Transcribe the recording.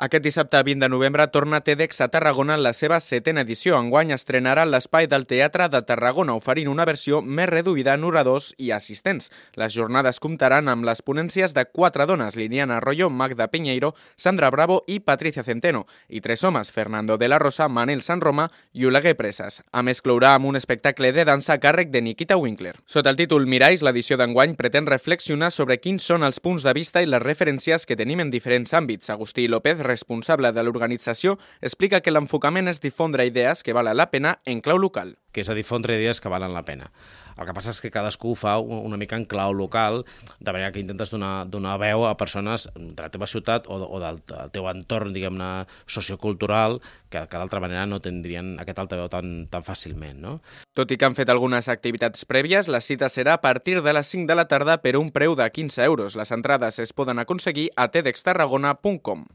Aquest dissabte 20 de novembre torna TEDx a Tarragona en la seva 7a edició. Enguany estrenarà l'espai del Teatre de Tarragona, oferint una versió més reduïda en oradors i assistents. Les jornades comptaran amb les ponències de 4 dones, Liliana Arroyo, Magda Piñeiro, Sandra Bravo i Patricia Centeno, i 3 homes, Fernando de la Rosa, Manel San Roma i Oleguer Presas. A més, clourà amb un espectacle de dansa a càrrec de Nikita Winkler. Sota el títol Miralls, l'edició d'enguany pretén reflexionar sobre quins són els punts de vista i les referències que tenim en diferents àmbits. Agustí López, responsable de l'organització, explica que l'enfocament és difondre idees que valen la pena en clau local. Que és a difondre idees que valen la pena. El que passa és que cadascú ho fa una mica en clau local, de manera que intentes donar veu a persones de la teva ciutat o del teu entorn, diguem-ne, sociocultural, que d'altra manera no tindrien aquest altaveu tan fàcilment, no? Tot i que han fet algunes activitats prèvies, la cita serà a partir de les 5 de la tarda per un preu de 15 euros. Les entrades es poden aconseguir a tedxtarragona.com.